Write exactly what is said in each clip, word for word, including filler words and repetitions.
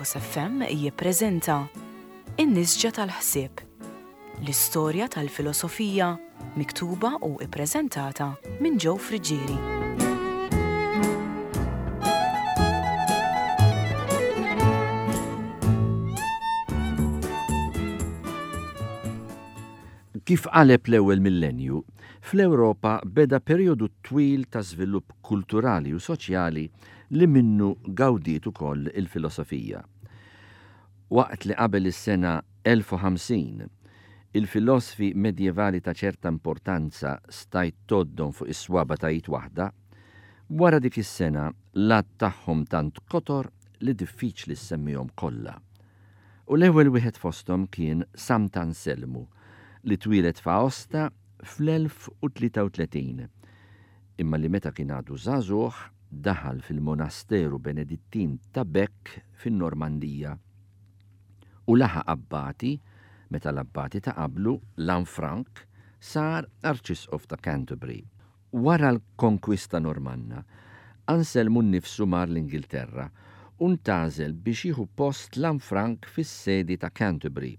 Lighthouse F M jippreżenta In-Nisġa tal-Ħsieb, l-istorja tal-filosofija miktuba u ippreżentata minn Joe Friggieri. Kif qaleb l-ewwel millenju, fl-Ewropa beda perjodu twil ta' żvilupp kulturali u soċjali li minnu gawdiet ukoll il-filosofija. Waqt li qabel is-sena elf u ħamsin, il-filosofi medjevali ta' ċerta importanza stajt tgħoddhom fuq is-swaba ta' id waħda, wara dik is-sena l-għadd tagħhom tant kotor li diffiċli ssemmihom kollha. U l-ewwel wieħed fosthom kien Sant'Anselmu, li twieled f'Aosta fl-elf u tlieta u tletin, imma li meta kien għadu żagħżugħ daħal fil-monasteru Benedittin ta' Bec fin-Normandija u laħaq abbati meta l-abbati ta' qablu, Lanfranc, sar arċisqof ta' Canterbury. Wara l-konkwista Normanna, Anselmu nnifsu mar l-Ingilterra u ntgħażel biex jieħu post Lanfranc fis-sedi ta' Canterbury.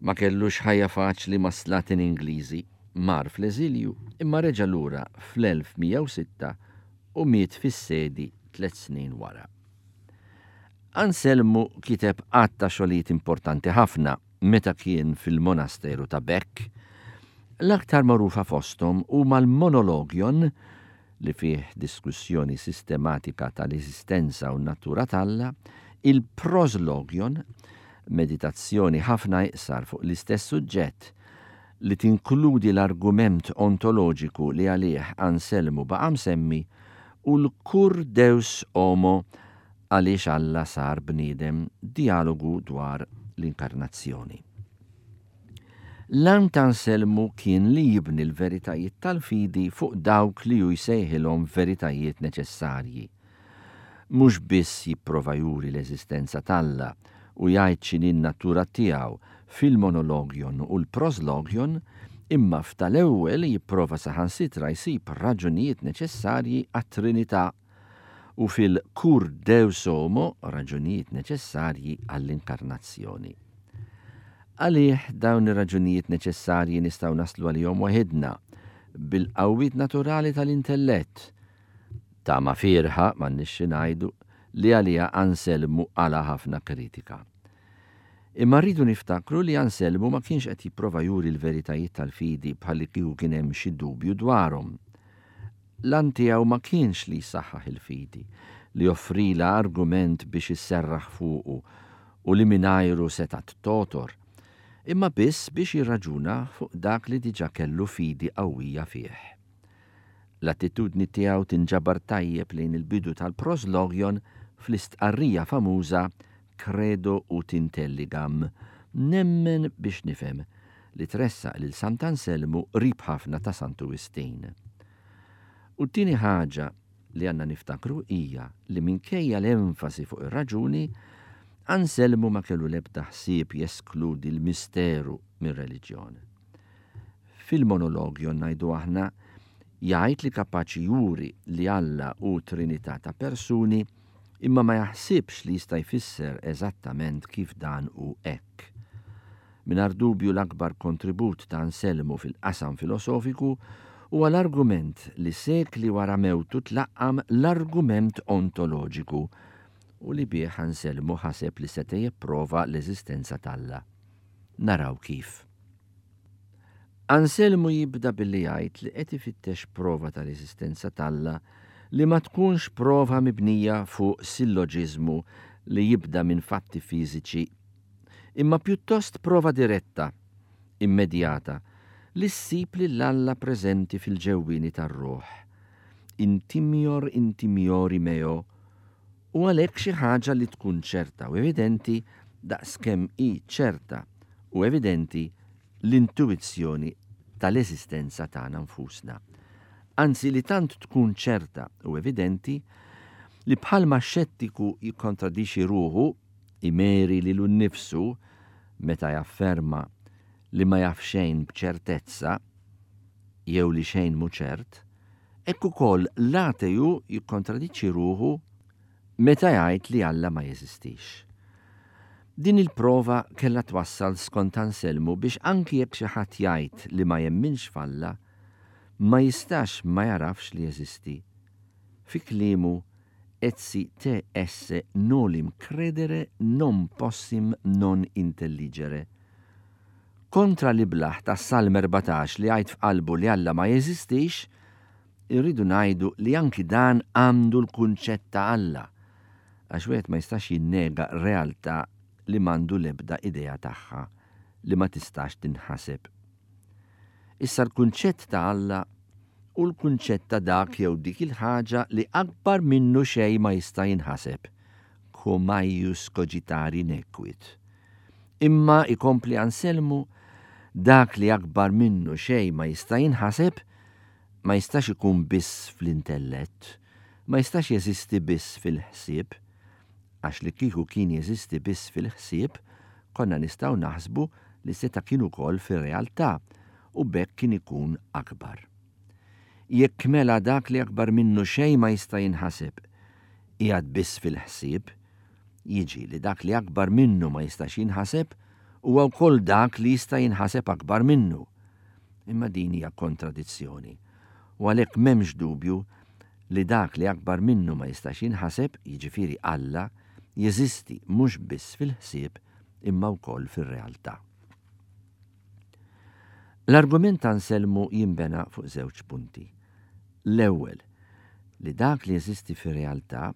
Ma kellux ħajja faċli ma' slatin Ingliżi, mar fl-eżilju imma reġa' lura fl-elf mija u sitta u miet fis-sedi tliet snin wara. Anselmu kiteb għadd ta' xogħlijiet importanti ħafna meta kien fil-monasteru ta' Bec. L-aktar magħrufa fosthom huma l-Monologion, li fih diskussjoni sistematika tal-eżistenza u n-natura t'Alla, il-Proslogion, meditazzjoni ħafna iqsar fuq l-istess suġġett li tinkludi l-argument ontoloġiku li għalih Anselmu baqa' msemmi, u l-Cur Deus Homo, għaliex Alla sar bniedem, dialogu dwar l-inkarnazzjoni. L-għan ta' Anselmu kien li jibni l-veritajiet tal-fidi fuq dawk li hu jsejħilhom veritajiet neċessarji. Mhux biss jipprova juri l-eżistenza t'Alla u jgħid x'inhi n-natura tiegħu fil-monologion u l-proslogion, imma f'tal-ewwel jipprova saħansitra jsib raġunijiet neċessarji għat-Trinità u fil-Cur Deus Homo raġunijiet neċessarji għall-inkarnazzjoni. Għalih dawn ir-raġunijiet neċessarji nistgħu naslu għalihom waħedna bil-qawwiet naturali tal-intellett. Ta' ma firħa m'għandniex xi ngħidu li għaliha Anselmu għala ħafna kritika. Imma rridu niftakru li Anselmu ma kienx qed jipprova juri l-veritajiet tal-fidi bħalli kieku kien hemm xi dubju dwarhom. L-għan tiegħu ma kienx li jsaħħaħ il-fidi, li joffrila argument biex isserraħ fuqu u li mingħajru setgħet totor, imma biss biex jirraġuna fuq dak li diġà kellu fidi qawwija fih. L-attitudni tiegħu tinġabar tajjeb lejn il-bidu tal-Proslogion fl-istqarrija famuża Credo ut intelligam, nemmen biex nifhem, li tressaq lil Sant'Anselmu qrib ħafna ta' Santu Wistin. U t-tieni ħaġa li għandna niftakru hija li minkejja l-enfasi fuq ir-raġuni, Anselmu ma kellu l-ebda ħsieb jeskludi l-misteru mir-reliġjon. Fil-monologjon ngħidu aħna jgħid li kapaċi juri li Alla hu Trinità ta' persuni, imma ma jaħsibx li jista' jfisser eżattament kif dan hu hekk. Mingħajr dubju l-akbar kontribut ta' Anselmu fil-qasam filosofiku huwa l-argument li sekli wara mewtu tlaqqam l-argument ontoloġiku u li bih Anselmu ħaseb li seta' jipprova l-eżistenza t'Alla. Naraw kif. Anselmu jibda billi jgħid li qed ifittex prova tal-eżistenza t'Alla li ma tkunx prova mibnija fuq silloġiżmu li jibda minn fatti fiżiċi, imma pjuttost prova diretta, immedjata, li ssib lil Alla preżenti fil-ġewwieni tar-ruħ. Intimior intimiori meo, u għalhekk xi ħaġa li tkun ċerta u evidenti daqskemm hi ċerta u evidenti l-intuizzjoni tal-eżistenza tagħna nfusna. Anzi li tant tkun ċerta u evidenti li bħalma xettiku jikkontradixxi ruħu, imeri lilu nnifsu meta jafferma li ma jaf xejn b'ċertezza jew li xejn mhu ċert, hekk ukoll l-ateju jikkontradiċi ruħu meta jgħid li Alla ma jeżistix. Din il-prova kellha twassal skont Anselmu biex anki jekk xi ħadd jgħid li ma jemminx f'Alla, ma jistax ma jagħrafx li jeżisti. Fi kliemu, etsi te esse nolim credere non possim non intelligere. Kontra l-iblah tas-Salm erbatax li jgħid f'qalbu li Alla ma jeżistix, irridu ngħidu li anki dan għandu l-kunċett ta' Alla, għax wieħed ma jistax jinnega realtà li m'għandu l-ebda idea tagħha, li ma tistax tinħaseb. Issa l-kunċett ta' Alla u l-kunċett ta' dak jew dik il-ħaġa li akbar minnu xejn ma jista' jinħaseb, quo maius cogitari nequit. Imma ikompli Anselmu, dak li akbar minnu xejn ma jista' jinħaseb ma jistax ikun biss fl-intellett, ma jistax jeżisti biss fil-ħsieb, għax li kieku kien jeżisti biss fil-ħsieb, konna nistgħu naħsbu li seta' kien ukoll fir-realtà u b'hekk kien ikun akbar. Jekk mela dak li akbar minnu xejn ma jista' jinħaseb qiegħed biss fil-ħsieb, jiġi li dak li akbar minnu ma jistax jinħaseb huwa wkoll dak li jista' jinħaseb akbar minnu. Imma din hija kontradizzjoni. U għalhekk m'hemmx dubju li dak li akbar minnu ma jistax jinħaseb, jiġifieri Alla, jeżisti mhux biss fil-ħsieb imma wkoll fir-realtà. L-argument ta' Anselmu jinbena fuq żewġ punti. L-ewwel, li dak li jeżisti fir-realtà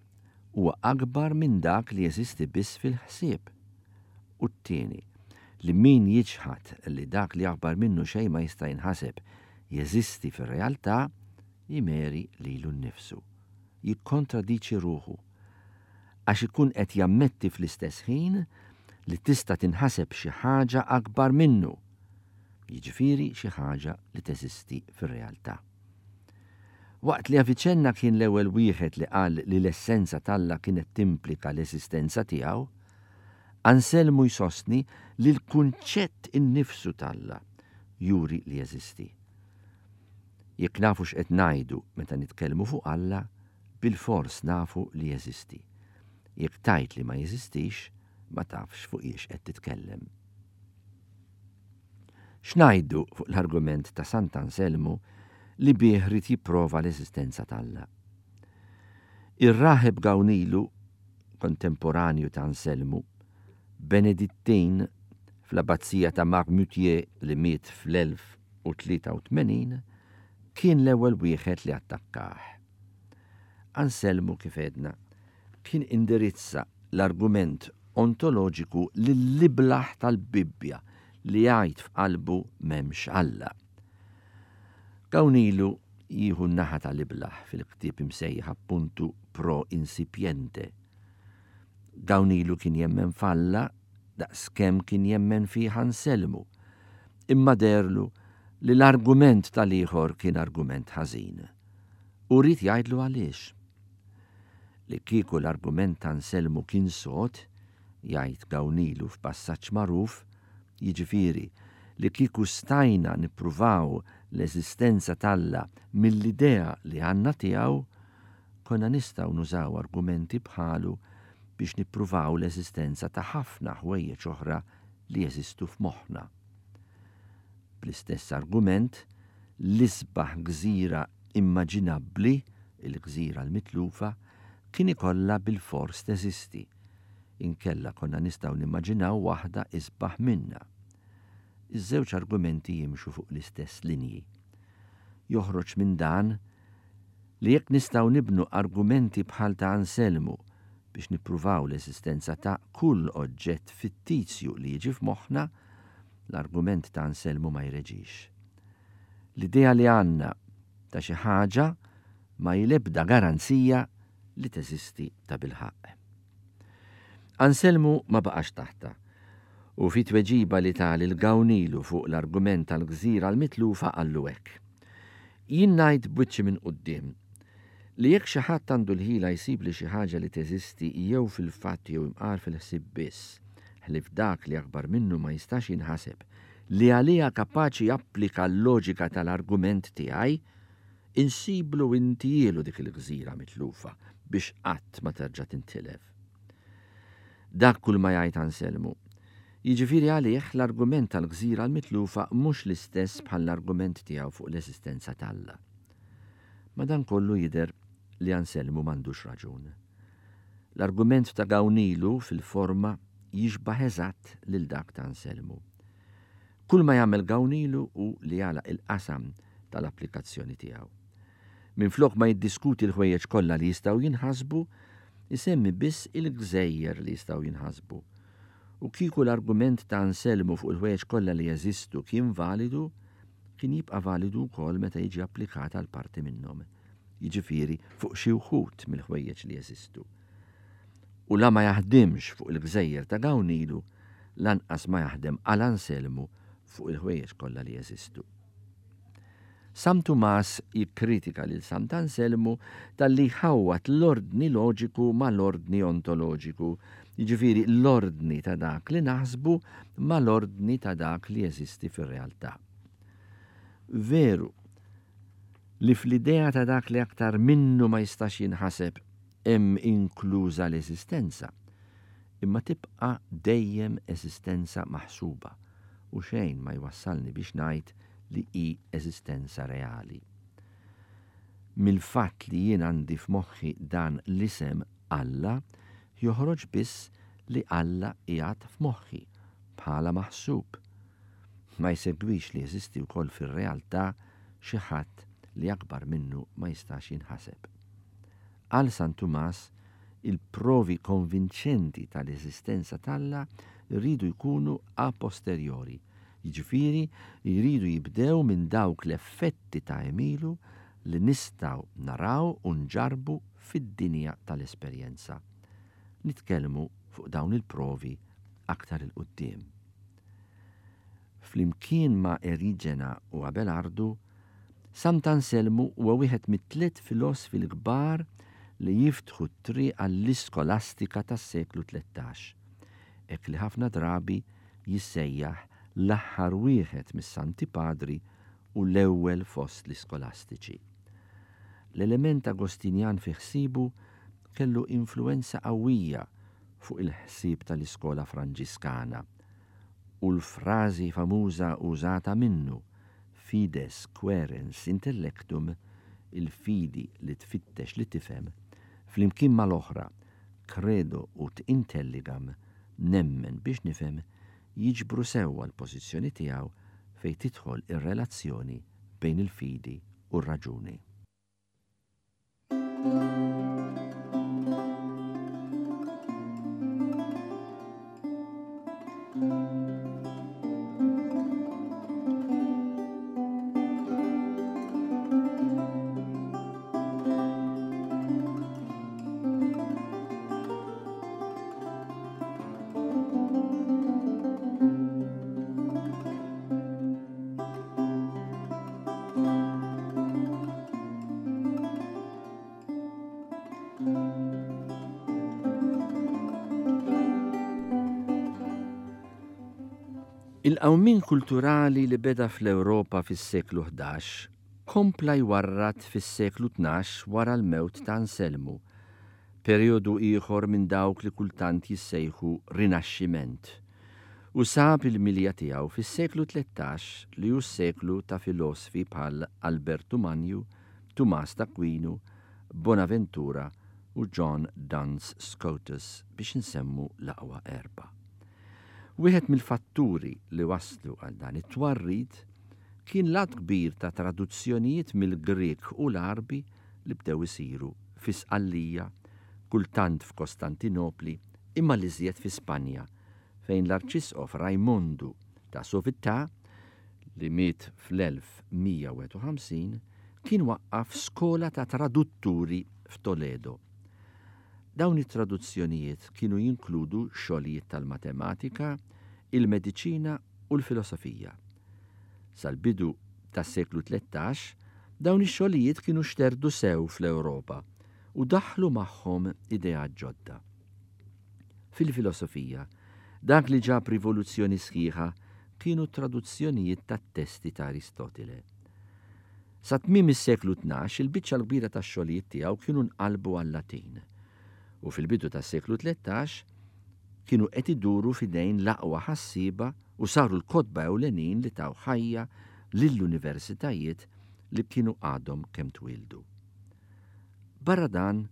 huwa akbar minn dak li jeżisti biss fil-ħsieb. U t-tieni, li min jiġħad li dak li akbar minnu xejn ma jista' jinħaseb jeżisti fir-realtà, jimeri lilu nnifsu, jikkontradiċi ruħu, għax ikun qed jammetti fl-istess ħin li tista' tinħaseb xi ħaġa akbar minnu, jiġifieri xi ħaġa li teżisti fir-realtà. Waqt li Avicenna kien l-ewwel wieħed li qal li l-essenza t'Alla kienet timplika l-eżistenza tiegħu, Anselmu jsostni li l-kunċett innifsu t'Alla juri li jeżisti. Jekk nafu x'qed ngħidu meta nitkellmu fuq Alla, bilfors nafu li jeżisti. Jekk tgħid li ma jeżistix, ma tafx fuq hiex qed titkellem. X'ngħidu fuq l-argument ta' Sant'Anselmu li bih ried jipprova l-eżistenza t'Alla? Ir-raħeb Gawnilu, kontemporanju ta' Anselmu, Benedittin fl-abbazija ta' Marmoutier li miet fl-elf u tlieta u tmenin, kien l-ewwel wieħed li attakkah. Anselmu, kif għedna, kien indirizza l-argument ontoloġiku lill-iblaħ tal-Bibbja li jgħid f'qalbu m'hemmx Alla. Gawnilu jieħu n-naħa tal-iblaħ fil-ktieb imsejjaħ appuntu Pro Insipiente. Gawnilu kien jemmen f'Alla daqskemm kien jemmen fih Anselmu, imma derlu li l-argument tal-ieħor kien argument ħażin. U ried jgħidlu għaliex. Li kieku l-argument ta' Anselmu kien sod, jgħid Gawnilu f'passaġġ magħruf, jiġifieri li kieku stajna nippruvaw l-eżistenza t'Alla mill-idea li għandna tiegħu, konna nistgħu nużaw argumenti bħalu biex nippruvaw l-eżistenza ta' ħafna ħwejjeġ oħra li jeżistu f'moħħna. Bl-istess argument, l-isbaħ gżira immaġinabbli, il-gżira l-mitlufa, kien ikollha bilfors teżisti. Inkella konna nistgħu nimmaġinaw waħda isbaħ minna. Iż-żewġ argumenti jimxu fuq l-istess linji. Joħroġ minn dan li jekk nistgħu nibnu argumenti bħal ta' Anselmu biex nippruvaw l-eżistenza ta' kull oġġett fittizju li jiġi f'moħħna, l-argument ta' Anselmu ma jreġix. L-idea li għandna ta' xi ħaġa ma jilebda garanzija li teżisti ta' bilħaqq. Anselmu ma baqax taħta u fi tweġiba li ta lil Gawnilu fuq l-argument tal-gżira l-mitlufa qallu hekk. Jien ngħid b'wiċċi minn quddiem li jekk xi ħadd għandu l-ħila jsib li xi ħaġa li teżisti jew fil-fatt jew imqar fil-ħsieb biss, ħlief dak li akbar minnu ma jistax jinħaseb, li għaliha kapaċi japplika l-loġika tal-argument tiegħi, insiblu intijielu dik il-gżira mitlufa biex qatt ma terġa' tintilef. Dak kull ma jgħid Anselmu. Jiġifieri għalih l-argument tal-gżira l-mitlufa mhux l-istess bħall-argument tiegħu fuq l-eżistenza t'Alla. Madankollu jidher li Anselmu m'għandux raġun. L-argument ta' Gawnilu fil-forma jixbah eżatt lil dak ta' Anselmu. Kull ma jagħmel Gawnilu hu li jagħlaq il-qasam tal-applikazzjoni tiegħu. Minflok ma jiddiskuti l-ħwejjeġ kollha li jistgħu jinħasbu, isemmi biss il-gżejjer li jistgħu jinħasbu. U kieku l-argument ta' Anselmu fuq il-ħwejjeġ kollha li jeżistu kien validu, kien jibqa' validu wkoll meta jiġi applikat għal parti minnhom, jiġifieri fuq xi wħud mill-ħwejjeġ li jeżistu. U la ma jaħdimx fuq il-gżejjer ta' Gawnilu, lanqas ma jaħdem għal Anselmu fuq il-ħwejjeġ kollha li jeżistu. San Tumas jikkritika lil Sant'Anselmu talli jħawwad l-ordni loġiku mal-ordni ontoloġiku, jiġifieri l-ordni ta' dak li naħsbu mal-ordni ta' dak li jeżisti fir-realtà. Veru li fl-idea ta' dak li aktar minnu ma jistax jinħaseb hemm inkluża l-eżistenza, imma tibqa' dejjem eżistenza maħsuba u xejn ma jwassalni biex ngħid li hi eżistenza reali. Mill-fatt li jien għandi f'moħħi dan l-isem Alla, joħroġ biss li Alla qiegħed f'moħħi bħala maħsub. Ma jsegwix li jeżisti wkoll fir-realtà xi ħadd li akbar minnu ma jistax jinħaseb. Għal San Tumas, il-provi konvinċenti tal-eżistenza t'Alla jridu jkunu a posteriori, jiġifieri jridu jibdew minn dawk l-effetti ta' għemilu li nistgħu naraw u nġarrbu fid-dinja tal-esperjenza. Nitkellmu fuq dawn il-provi aktar 'il quddiem. Flimkien ma' Eriġena u Abelardu, Sant'Anselmu huwa wieħed mit-tliet filosfi l-kbar li jiftħu t-triq għall-iskolastika tas-seklu tlettax, hekk li ħafna drabi jissejjaħ l-aħħar wieħed mis-Santi Padri u l-ewwel fost l-iskolastiċi. L-element Agostinjan fi ħsiebu kellu influenza qawwija fuq il-ħsieb tal-iskola Franġiskana u l-frażi famuża użata minnu fides quaerens intellectum, il-fidi li tfittex li tifhem, flimkien mal-oħra credo ut intelligam, nemmen biex nifhem, jiġbru sewwa l-pożizzjoni tiegħu fejn tidħol ir-relazzjoni bejn il-fidi u r-raġuni. Il-qawmien kulturali li beda fl-Ewropa fis-seklu ħdax kompla jwarrad fis-seklu tnax wara l-mewt ta' Anselmu, perjodu ieħor minn dawk li kultant jissejħu Rinaxximent, u sab il-milja tiegħu fis-seklu tlettax li hu s-seklu ta' filosfi bħal Albertu Magnu, Tumas d'Aquinu, Bonaventura u John Duns Scotus biex nsemmu l-aqwa erba'. Wieħed mill-fatturi li waslu għal dan it-twarrid kien l-għadd kbir ta' traduzzjonijiet mill-Grieg u l-Għarbi li bdew isiru fi Sqallija, kultant f'Kostantinopli, imma l-iżjed fi Spanja, fejn l-Arċisqof Rajmondu ta' Sovittà, li miet fl-elf mija u wieħed u ħamsin, kien waqqaf skola ta' tradutturi f'Toledo. Dawn it-traduzzjonijiet kienu jinkludu xogħlijiet tal-matematika, il-mediċina u l-filosofija. Sal-bidu tas-seklu tlettax, dawn ix-xogħlijiet kienu xterdu sew fl-Ewropa u daħlu magħhom ideat ġodda. Fil-filosofija, dak li ġab rivoluzzjoni sħiħa kienu traduzzjonijiet tat-testi ta' Aristotile. Sa tmiem is-seklu tnax il-biċċa l-kbira tax-xogħlijiet tiegħu kienu nqalbu għal-Latin. U fil-bidu tas-seklu tlettax kienu qed iduru f'idejn l-aqwa ħassieba u saru l-kotba ewlenin li taw ħajja lill-universitajiet li kienu għadhom kemm twildu. Barra dan,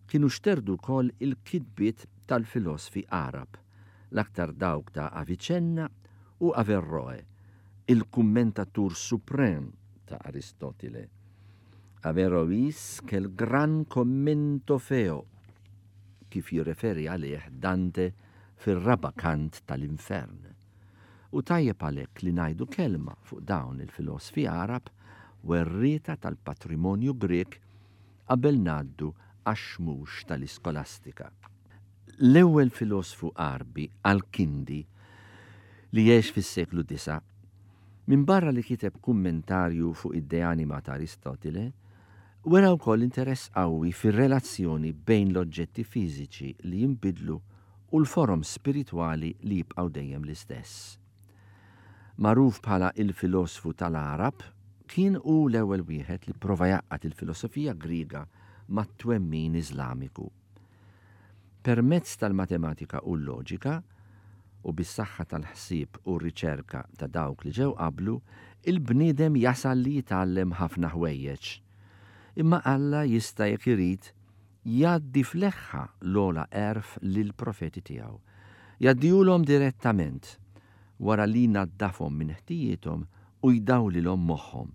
kienu xterdu wkoll il-kitbiet tal-filosfi Għarab, l-aktar dawk ta' Avicenna u Averroe, il-kummentatur suprem ta' Aristotile. Averrois quel gran commento feo, kif jirreferi għalih Dante fir-raba' kant tal-Infern. U tajjeb għalhekk li ngħidu kelma fuq dawn il-filosfi Għarab werrieta tal-patrimonju Grek qabel ngħaddu għax-xmux tal-iskolastika. L-ewwel filosfu Għarbi, Al-Kindi, li għex fis-seklu disa', minbarra li kiteb kummentarju fuq id-De Anima ta' Aristotile, wera wkoll interess qawwi fir-relazzjoni bejn l-oġġetti fiżiċi li jinbidlu u l-forom spiritwali li jibqgħu dejjem l-istess. Magħruf bħala il-filosfu tal-Għarab, kien hu l-ewwel wieħed li prova jgħaqqad il-filosofija Griega mat-twemmin Iżlamiku. Permezz tal-matematika u l-loġika, u bis-saħħa tal-ħsieb u r-riċerka ta' dawk li ġew qablu, il-bniedem jasal li jitgħallem ħafna ħwejjeġ. Imma Alla jista' jekk irid jgħaddi fl-eħħa l-ogħla għerf lill-profeti tiegħu. Jgħaddihulhom direttament wara li jnaddafhom minn ħtijiethom u jdawlilhom moħħhom.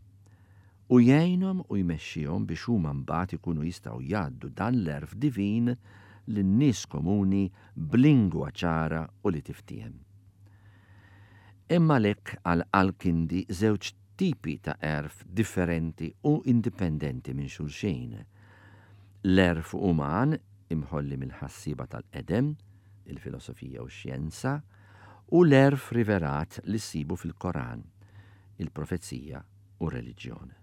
U jgħinhom u jmexxihom biex huma mbagħad ikunu jistgħu jgħaddu dan l-għerf divin lin-nies komuni b'lingwa ċara u li tiftiehem. Hemm għalhekk għal Al-Kindi żewġ tipi ta' għerf differenti u indipendenti minn xulxin. L-għerf uman imħolli mill-ħassiba tal-qedem, il-filosofija u x-xjenza, u l-għerf rivelat li ssibu fil-Koran, il-profezija u r-reliġjon.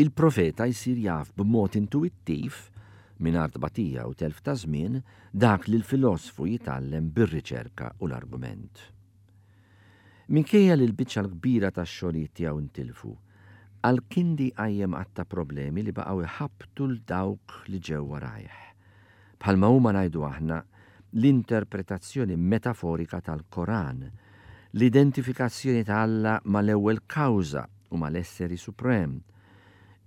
Il-profeta jsir jaf b'mod intuwittiv, mingħajr tbatija u telf ta' żmien, dak li l-filosfu jitgħallem bir-riċerka u l-argument. Minkejja li l-biċċa l-kbira tax-xogħlijiet tiegħu ntilfu, Al-Kindi qajjem għadd ta' problemi li baqgħu jħabbtu l dawk li ġew warajh. Bħalma huma ngħidu aħna l-interpretazzjoni metaforika tal-Koran, l-identifikazzjoni ta' Alla mal-ewwel kawża u mal-esseri suprem,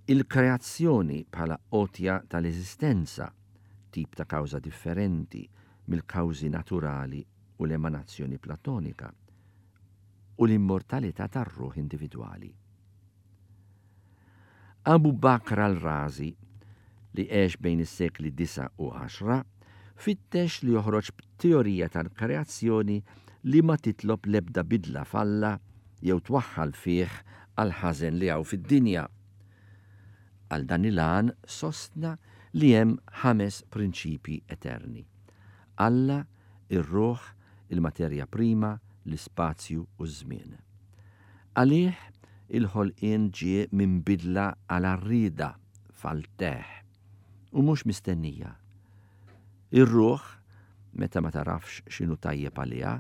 il-kreazzjoni bħala għotja tal-eżistenza, tip ta' kawża differenti mill-kawżi naturali u l-emanazzjoni platonika, u l-immortalità tar-ruħ individwali. Abu Bakr al-Razi, li għex bejn is-sekli disa u għaxra, fittex li joħroġ b'teorija tal-kreazzjoni li ma titlob l-ebda bidla f'Alla jew twaħħal fih għal ħażen li hawn fid-dinja. Għal dan il-għan sostna li hemm ħames prinċipi eterni: Alla, ir-ruħ, il-materja prima, l-ispazju u ż-żmien. Għalih il-ħolqien ġie minn bidla għal arrida fal-teħ u mhux mistennija. Ir-ruħ, meta ma tarafx x'inhu tajjeb għaliha,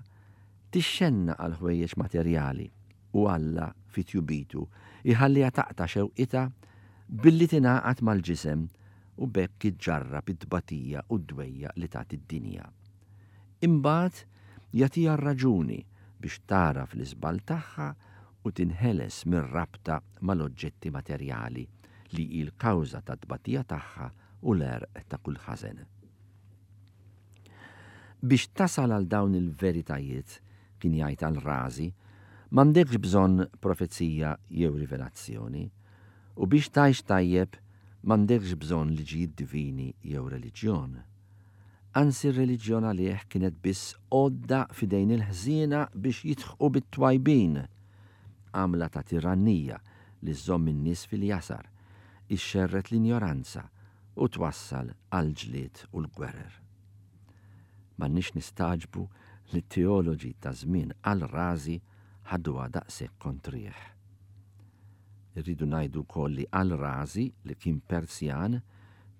tixxenna għal ħwejjeġ materjali u Alla fi tjubitu iħalliha taqta' xewqitha billi tingħaqad mal-ġisem u b'hekk iġġarrab it-tbatija u d-dwejja li tagħti d-dinja. Imbagħad jagħtiha r-raġuni biex taraf l-iżball tagħha u tinħeles mir-rabta mal-oġġetti materjali li hi l-kawża tat-tbatija tagħha u l-għerq ta' kull ħażen. Biex tasal għal dawn il-veritajiet, kien jgħid al-Razi, m'għandekx bżonn profezija jew rivelazzjoni, u biex tgħix tajjeb m'għandekx bżonn liġijiet divini jew reliġjon. Anzi r-reliġjon għalih kienet biss għodda f'idejn il-ħżiena biex jidħqu bit-twajbin, għamla ta' tirannija li żżomm in-nies fil-jasar, ixxerret l-injoranza u twassal għal ġlied u l-gwerer. M'għandniex nistagħġbu li t-teoloġi ta' żmien Al-Razi ħaduha daqshekk kontrih. Irridu ngħidu wkoll li Al-Razi, li kien Persjan,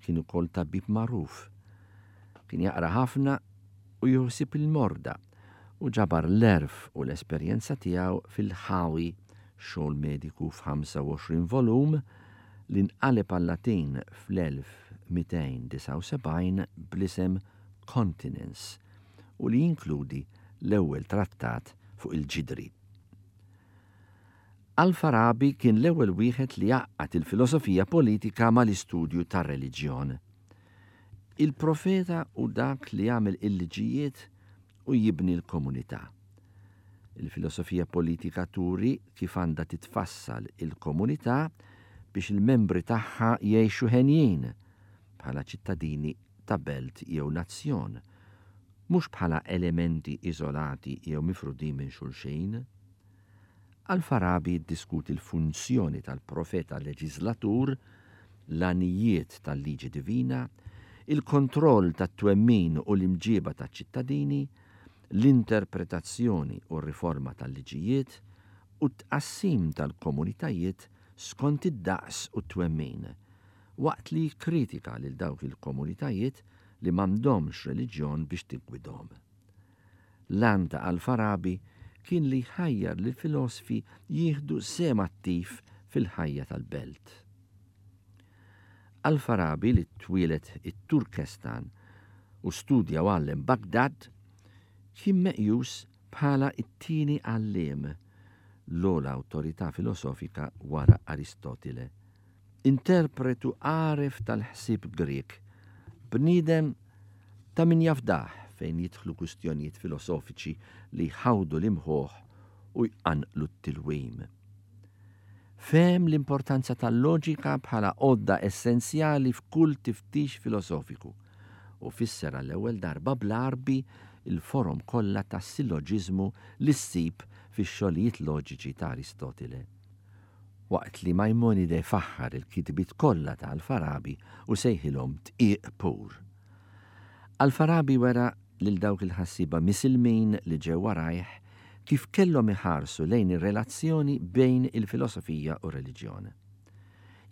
kien ukoll tabib magħruf. Kien jaqra ħafna u juħsib il-morda u ġabar l-għerf u l-esperjenza tiegħu fil-ħawi xogħol mediku f'ħamsa u għoxrin volum li nqaleb għal-Latin fl-elf mitejn disgħa u sebgħin bl-isem Continens u li jinkludi l-ewwel trattat fuq il-ġidri. Al-Farabi kien l-ewwel wieħed li għaqqad il-filosofija politika mal-istudju tar-reliġjon. Il-profeta hu dak li jagħmel il-liġijiet u jibni l-komunità. Il-filosofija politika turi kif għandha titfassal il-komunità biex il-membri tagħha jgħixu henjin bħala ċittadini ta' belt jew nazzjon, mhux bħala elementi iżolati jew mifrudin minn xulxin. Al-Farabi ddiskuti l-funzjoni tal-profeta leġislatur, l-għanijiet tal-liġi divina, il-kontroll tat-twemmin u l-imġiba taċ-ċittadini, l-interpretazzjoni u r-riforma tal-liġijiet u t-tqassim tal-komunitajiet skont id-daqs u t-twemmin, waqt li kritika lil dawk il-komunitajiet li m'għandhomx reliġjon biex tiggwidhom. L-għan ta' Al-Farabi kien li jħajjar lil filosfi jieħdu sehem attiv fil-ħajja tal-belt. Al-Farabi, li twieled it-Turkestan u studja u għallem Baghdad, kien meqjus bħala it-tieni għalliem, l-ogħla awtorità filosofika wara Aristotile. Interpretu għaref tal-ħsieb Grek, bniedem ta' min jafdah fejn jidħlu kwistjonijiet filosofiċi li jħawdu l-imħuħ u jqanqlu t-tilwim. Fehem l-importanza tal-loġika bħala għodda essenzjali f'kull tiftix filosofiku u fisser għall-ewwel darba bl-Għarbi il-forom kollha tas-silloġiżmu li ssib fix-xogħlijiet loġiċi ta' Aristotile. Waqt li Maimonide faħħar il-kitbiet kollha ta' Al-Farabi u sejħilhom tqiq pur. Al-Farabi wera lil dawk il-ħassiba misilmin li ġew warajh kif kellhom iħarsu lejn ir-relazzjoni bejn il-filosofija u r-reliġjon.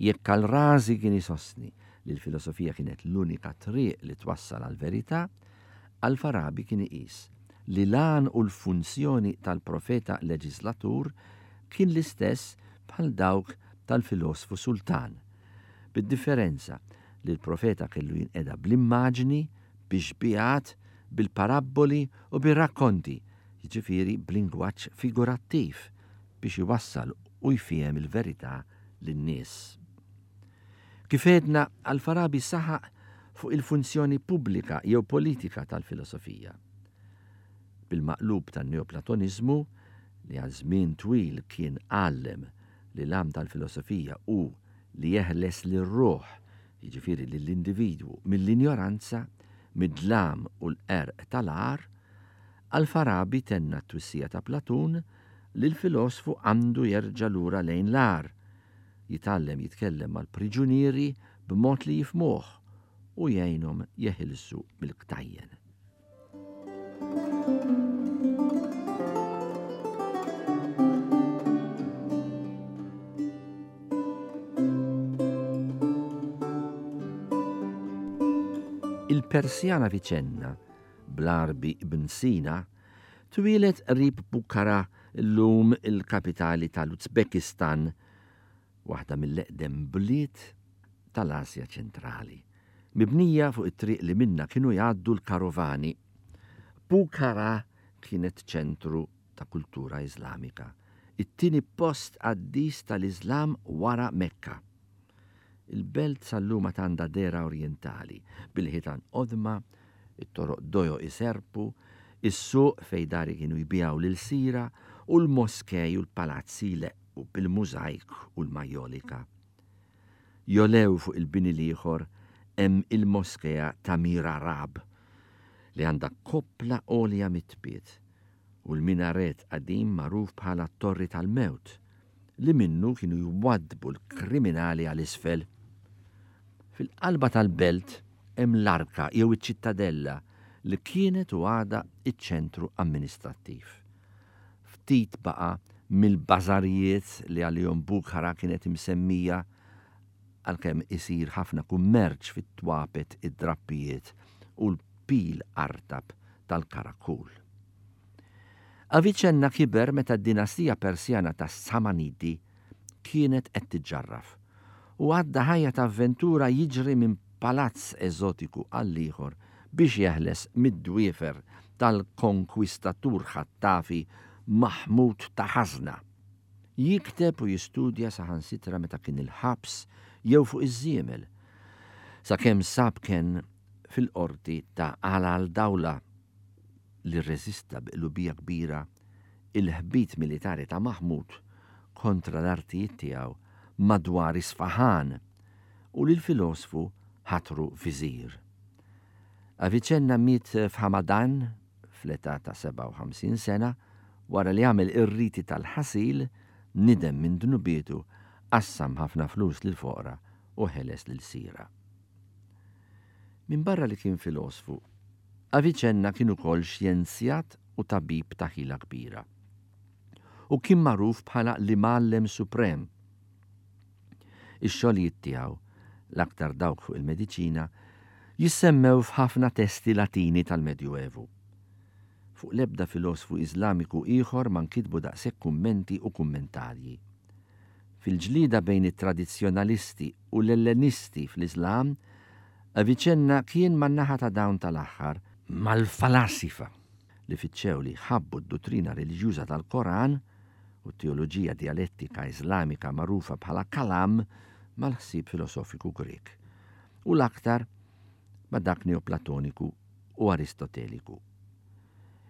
Jekk Al-Razi kien isostni li l-filosofija kienet l-unika triq li twassal għall-verità, Al-Farabi kien iqis li l-għan u l-funzjoni tal-profeta leġislatur kien l-istess bħal dawk tal-filosfu sultan, bid-differenza li l-profeta kellu jinqeda bl-immaġni, bix-xbihat, bil-parabboli u bir-rakkonti, jiġifieri b'lingwaġġ figurattiv biex iwassal u jfiehem il-verità lin-nies. Kif għedna, Al-Farabi saħaq fuq il-funzjoni pubblika jew politika tal-filosofija. Bil-maqlub tan-neoplatonizmu, li għal żmien twil kien għallem li l-għam tal-filosofija hu li jeħles lir-ruħ, jiġifieri lill-individwu, mill-injoranza, mid-dlam u l-qerq tal-għar, Al-Farabi tenna t-twissija ta' Platun li l-filosfu għandu jerġa' lura lejn l-għar, jitgħallem jitkellem mal-priġunieri b'mod li jifmuh u jgħinhom jeħilsu mill-ktajjen. Il-Persjan Avicenna, bl-Għarbi Ibn Sina, twieled qrib Bukhara, llum il-kapitali tal-Uzbekistan, waħda mill-eqdem bliet tal-Asja ċentrali, mibnija fuq it-triq li minna kienu jgħaddu l-karovani. Bukhara kienet ċentru ta' kultura Iżlamika, it-tieni post qaddis tal-Iżlam wara Mekka. Il-belt sal-lum għad għandha dehra orjentali, bil-ħitan qodma, it-toroq dojo iserpu, is-suq fej dari kienu jbijaw lil-sira u l-moskej u l-palazzi jleqqu bil-mużajk u l-majolika. Jolew fuq il-bini l-ieħor hemm il-moskea ta' Mirarab li għandha koppla għolja mitbiet u l-minaret qadim magħruf bħala t-Torri tal-Mewt li minnu kienu jwaddbu l-kriminali għal isfel. Fil-qalba tal-belt hemm l-arka jew iċ-ċittadella li kienet u għadha iċ-ċentru amministrattiv. Ftit baqa' mill-bażarijiet li għalihom Bukhara kienet imsemmija, għalkemm isir ħafna kummerċ fit-twapet, id-drappijiet u l-pil artab tal-karakul. Avicenna kiber meta d-dinastija Persjana tas-Samanidi kienet qed tiġġarraf u għadda ħajja ta' avventura jiġri minn palazz eżotiku għal ieħor biex jeħles mid-dwiefer tal-konkwistatur ħattafi Maħmud ta' Ħażna. Jikteb u jistudja saħansitra meta kien il-ħabs jew fuq iż-żiemel, sakemm sab kenn fil-qorti ta' Ala al-Dawla li rreżista bi qlubija kbira il-ħbit militari ta' Maħmud kontra l-artijiet tiegħu madwar Isfahan u li l-filosfu ħatru viżir. Avicenna miet f'Hamadan fl-età ta' sebgħa u ħamsin sena wara li għamel ir-riti tal-ħasil, nidem minn dnubietu, qassam ħafna flus lill-foqra u ħeles lil sira. Minbarra li kien filosfu, Avicenna kien ukoll xjenzjat u tabib ta' ħila kbira. U kien magħruf bħala l-imgħallem suprem. Ix-xogħlijiet tiegħu, l-aktar dawk fuq il-mediċina, jissemmew f'ħafna testi Latini tal-Medjuevu. Fuq l-ebda filosfu Iżlamiku ieħor ma nkitbu daqshekk kummenti u kummentarji. Fil-ġlieda bejn it-tradizzjonalisti u l-Ellenisti fl-Iżlam, Avicenna kien man-naħa ta' dawn tal-aħħar mal-falasifa li fittxew li jħabbu d-dottrina reliġjuża tal-Koran u t-teoloġija dialettika Iżlamika magħrufa bħala kalam mal-ħsieb filosofiku Grek u l-aktar ma' dak neoplatoniku u aristoteliku.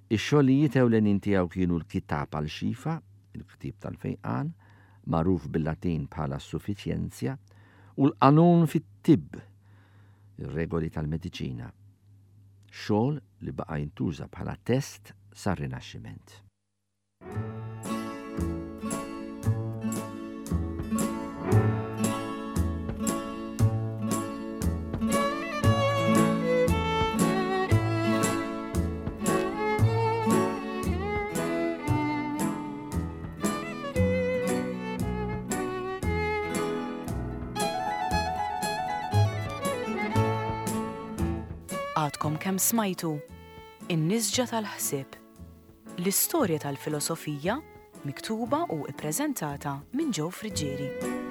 Ix-xogħlijiet ewlenin tiegħu kienu l-Kitab al-Xifa, il-ktieb tal-fejqan, magħruf bil-Latin bħala suffiċjenzja, u l-Qanun fit-Tibb, ir-regoli tal-mediċina. Xogħol li baqa' jintuża bħala test sar-Rinaxximent. Għadkom kemm smajtu In-Nisġa tal-Ħsieb, l-istorja tal-filosofija miktuba u ippreżentata minn Joe Friggieri.